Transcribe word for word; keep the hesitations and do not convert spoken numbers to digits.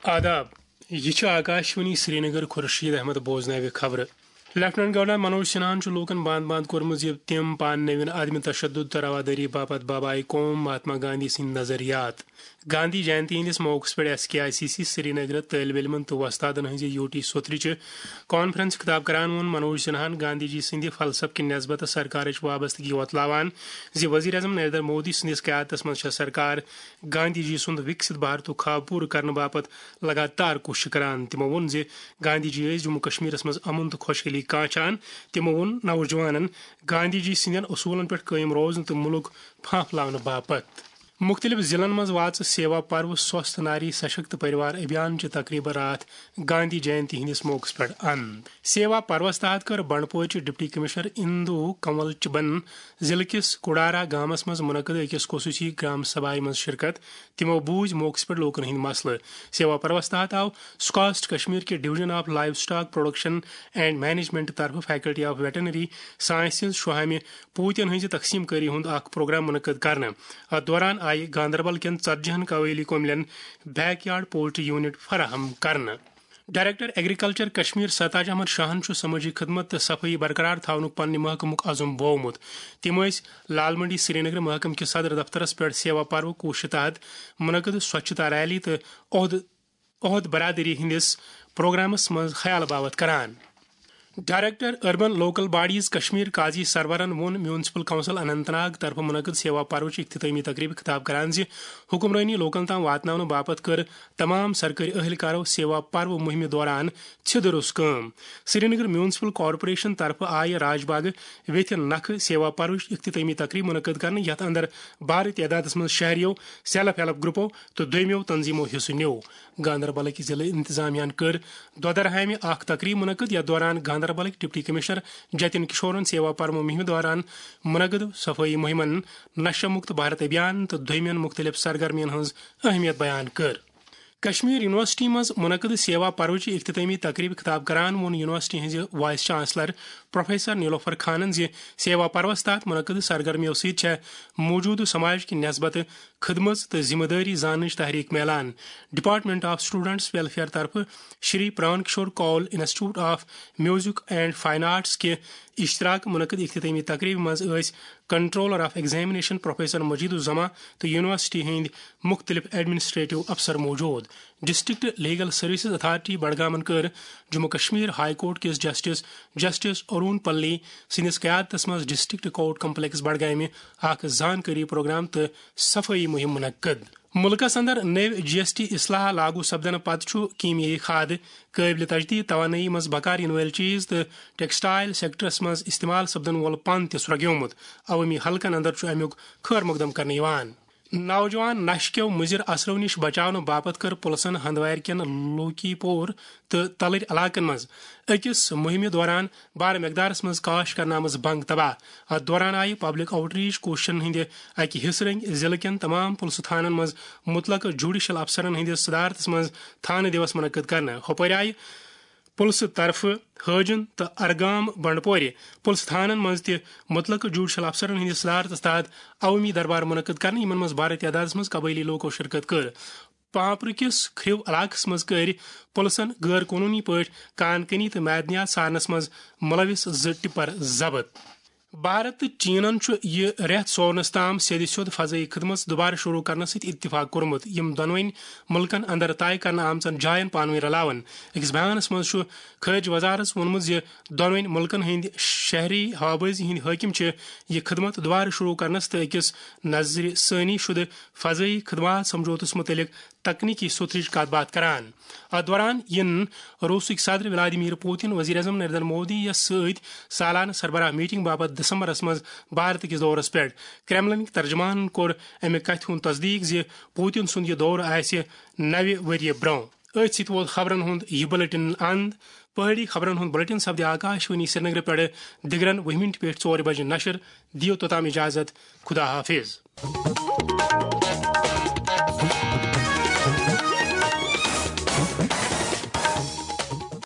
آداب، یہِ چھِ آکاشوانی سرینگر۔ خورشید احمد بوزناوِ خبرٕ۔ لیفٹیننٹ گورنر منوج سنہاہن چھُ لوٗکن بند بند کوٚرمُت زِ تِم پانہٕ نٔوٮ۪ن عدم تشدد تہٕ روادٲری باپتھ بابائے قوم مہاتما گاندھی سٕنٛدۍ نظریات۔ گاندھی جینتی ہٕنٛدِس موقعس پٮ۪ٹھ S K I C C Srinagar طٲلبہِ علمن تہٕ وۄستادن ہٕنٛزِ یوٗ ٹی سوتھرِ چہِ کانفرنس خطاب کران ووٚن منوج سنہاہن گاندھی جی سٕنٛدِ فلسفہٕ کہِ نسبت سرکارٕچ وابستگی وۄتلاوان زِ وزیر اعظم نریندر مودی سٕنٛدِس قیادتس منٛز چھےٚ سرکار گاندھی جی سُنٛد وِکسِت بھارتُک خواب پوٗرٕ کرنہٕ باپتھ لگاتار کوٗشش کران۔ تِمو ووٚن زِ گاندھی جی ٲسۍ جموں کشمیرس منٛز امن تہٕ خۄشحٲلی کانچھان۔ تِمو ووٚن نوجوانن گاندھی جی سٕنٛدٮ۪ن اصوٗلن پٮ۪ٹھ قٲیِم روزنہٕ تہٕ مُلک پھانپھلاونہٕ باپتھ۔ مُختٔلِف ضلعن منٛز واژٕ سیوا پرو سوستھ ناری سشکت پریوار ابھیان چہِ تقریبہٕ راتھ گاندھی جینتی ہٕنٛدِس موقعس پٮ۪ٹھ اند۔ سیوا پروس تحت کٔر بنڈپورچہِ ڈپٹی کمشنر اندو کنول چبن ضلعہٕ کِس کڈارا گامس منٛز منعقد أکِس خصوٗصی گرام سبھایہِ منٛز شرکت۔ تِمو بوٗزۍ موقعس پٮ۪ٹھ لوٗکن ہٕنٛدۍ مسلہٕ۔ سیوا پروس تحت آو سکاسٹ کشمیر کہِ Division of Livestock Production and Management طرفہٕ Faculty of Veterinary Sciences شوہامہِ پوٗتٮ۪ن ہٕنٛزِ تقسیٖم کٲری ہُنٛد اکھ پروگرام منعقد کرنہٕ۔ اتھ دوران آیہِ گاندربل کٮ۪ن ژتجی ہن قبٲیلی کوملٮ۪ن بیک یارڈ پولٹری یونٹ فراہم کرنہٕ۔ ڈائریکٹر ایگریکلچر کشمیر ستاج احمد شاہن چھُ سمٲجی خدمت تہٕ صفٲیی برقرار تھاونُک پننہِ محکمُک عزم بوومُت۔ تِم ٲسۍ لال منڈی سرینگر محکمہٕ کِس صدر دفترس پٮ۪ٹھ سیوا پرو کوشش تحت منعقد سوچھتا ریلی تہٕ عہدٕ عہد برادری ہٕنٛدِس پروگرامس منٛز خیال باوت کران۔ Director urban local bodies Kashmir قاضی سرورن ووٚن میونسپل کونسل اننت ناگ طرفہٕ منعقد سیوا پروچ اختتامی تقریبہِ خطاب کران زِ حکمرٲنی لوکن تام واتناونہٕ باپتھ کٔر تمام سرکٲرۍ اہلکارو سیوا پرو مہمہِ دوران ژھِ دُرُس کٲم۔ سرینگر میونسپل کارپوریشن طرفہٕ آیہِ راج باغ ویتھِ نکھٕ سیوا پروچ اختتامی تقریب منعقد کرنہٕ، یتھ اندر بھارٕ تعدادس منٛز شہریو، سیلف ہیلپ گروپو تہٕ دویمیو تنظیمو حصہٕ نیوو۔ گاندربلٕکۍ ضلعہٕ انتظامیہ ہن کٔر دۄدرہامہِ اکھ تقریب منعقد، یتھ دوران گاندربلٕکۍ ڈپٹی کمشنر جتن کشورن سیوا پرمو مہمہِ دوران منعقد صفٲیی مہمن، نشہ مکت بھارت ابھیان تہٕ دویمٮ۪ن مختلف سرگرمین ہٕنٛز اہمیت بیان کٔر۔ کشمیر یونیورسٹی منٛز منعقد سیوا پروچ اختتامی تقریب خطاب کران ووٚن یونیورسٹی ہٕنٛزِ وائس چانسلر پروفیسر نیلوفر خانن زِ سیوا پروس تحت منعقد سرگرمیو سۭتۍ چھےٚ موجودٕ سماج کہِ نسبتہٕ خدمژ تہٕ ذمہ دٲری زاننٕچ تحریک میلان۔ ڈپارٹمنٹ آف اسٹوڈنٹس ویلفیئر طرفہٕ Shri Pran Kishore Kaul institute of music and fine arts کہِ اشتراک منعقد اختتامی تقریبہِ منٛز ٲسۍ controller of examination professor Majeed uz-Zaman تہٕ یونیورسٹی ہٕنٛدۍ مُختٔلِف ایڈمنسٹریٹو افسر موجود۔ ڈسٹرکٹ لیگل سروسز اتھارٹی بڈگامن کٔر جموں کشمیر ہائی کورٹ کِس جسٹس جسٹس ارون پلی سٕنٛدِس قیادتس منٛز ڈسٹرکٹ کورٹ کمپلیکس بڈگامہِ اکھ زانکٲری پروگرام تہٕ صفٲیی مہم منعقد۔ مُلکس اندر نٔوۍ جی ایس ٹی اصلاح لاگو سپدنہٕ پتہٕ چھُ کیمیٲیی کھاد، قٲبلِ تجدید توانٲیی منٛز بکار یِنہٕ وٲلۍ چیز تہٕ ٹیکسٹائل سیکٹرس منٛز استعمال سپدن وول پن تہِ سرٛگیومُت۔ عوٲمی حلقن اندر چھُ امیُک خٲر مقدم کرنہٕ یِوان۔ نوجوان نشہٕ کیو مُضر اثرو نِش بچاونہٕ باپتھ کٔر پُلسن ہندوارِ کٮ۪ن لوکی پور تہٕ تلٕرۍ علاقن منٛز أکِس مُہِمہِ دوران بارٕ مقدارس منٛز کاش کرنہٕ آمٕژ بنگ تباہ۔ اتھ دوران آیہِ پبلک آؤٹ ریچ کوششن ہٕنٛدِ اکہِ حصہٕ رٔنگۍ ضلعہٕ کٮ۪ن تمام پُلسہٕ تھانن منٛز مُتلقہٕ جوڈیشل افسرن ہٕنٛدِس صدارتس منٛز تھانہٕ دیوس منعقد کرنہٕ۔ ہُپٲرۍ آیہِ پُلسہٕ طرفہٕ حٲجِن تہٕ ارگام بنڈپورِ پُلسہٕ تھانن منٛز تہِ مُتلقہٕ جوڈیشل افسرن ہٕنٛدِس صدارتس تحت عوٲمی دربار منعقد کرنہٕ، یِمن منٛز بارٕ تعدادس منٛز قبٲیلی لوکو شرکت کٔر۔ پانپرٕ کِس کھرِو علاقس منٛز کٔرۍ پُلسن غٲر قونوٗنی پٲٹھۍ کان کنی تہٕ معدنیات سارنس منٛز مُلوث زٕ ٹپر ضبط۔ بھارت تہٕ چینن چھُ یہِ رٮ۪تھ سورنس تام سیٚدِ سیوٚد فضٲیی خدمژ دُبارٕ شروع کرنس سۭتۍ اتفاق کوٚرمُت، یِم دۄنوٕنۍ مُلکن اندر طے کرنہٕ آمژن جاین پانہٕ ؤنۍ رلاون۔ أکِس بیانس منٛز چھُ خارجہ وزارتس ووٚنمُت زِ دۄنوٕنۍ مُلکن ہٕنٛدۍ شہری ہوابٲزی ہٕنٛدۍ حٲکم چھِ یہِ خدمت دُبارٕ شروع کرنس تہٕ أکِس نظرِ ثٲنی شدٕ فضٲیی خدمات سمجھوتس متعلق تکنیکی سوٚتھرٕچ کتھ باتھ کران۔ اتھ دوران یِن روسٕکۍ صدر ولادیمیر پوتن، وزیر اعظم نریندر مودی یَس سۭتۍ سالانہٕ سربراہ میٹنگ باپتھ دسمبرس منٛز بھارت کِس دورس پٮ۪ٹھ۔ کرملنٕکۍ ترجمانن کوٚر امہِ کتھِ ہُنٛد تصدیق زِ پوتن سُنٛد یہِ دورٕ آسہِ نوِ ؤریہِ برٛونٛہہ۔ أتھۍ سۭتۍ ووت خبرن ہُنٛد یہِ بلیٹن اند۔ پہٲڑی خبرن ہُنٛد بلیٹن سپدِ آکاشوانی سرینگرٕ پٮ۪ٹھٕ دِگرن وُہہِ مِنٹہِ پٮ۪ٹھ ژورِ بجہِ نشر۔ دِیِو توٚتام اجازت۔ خدا حافظ۔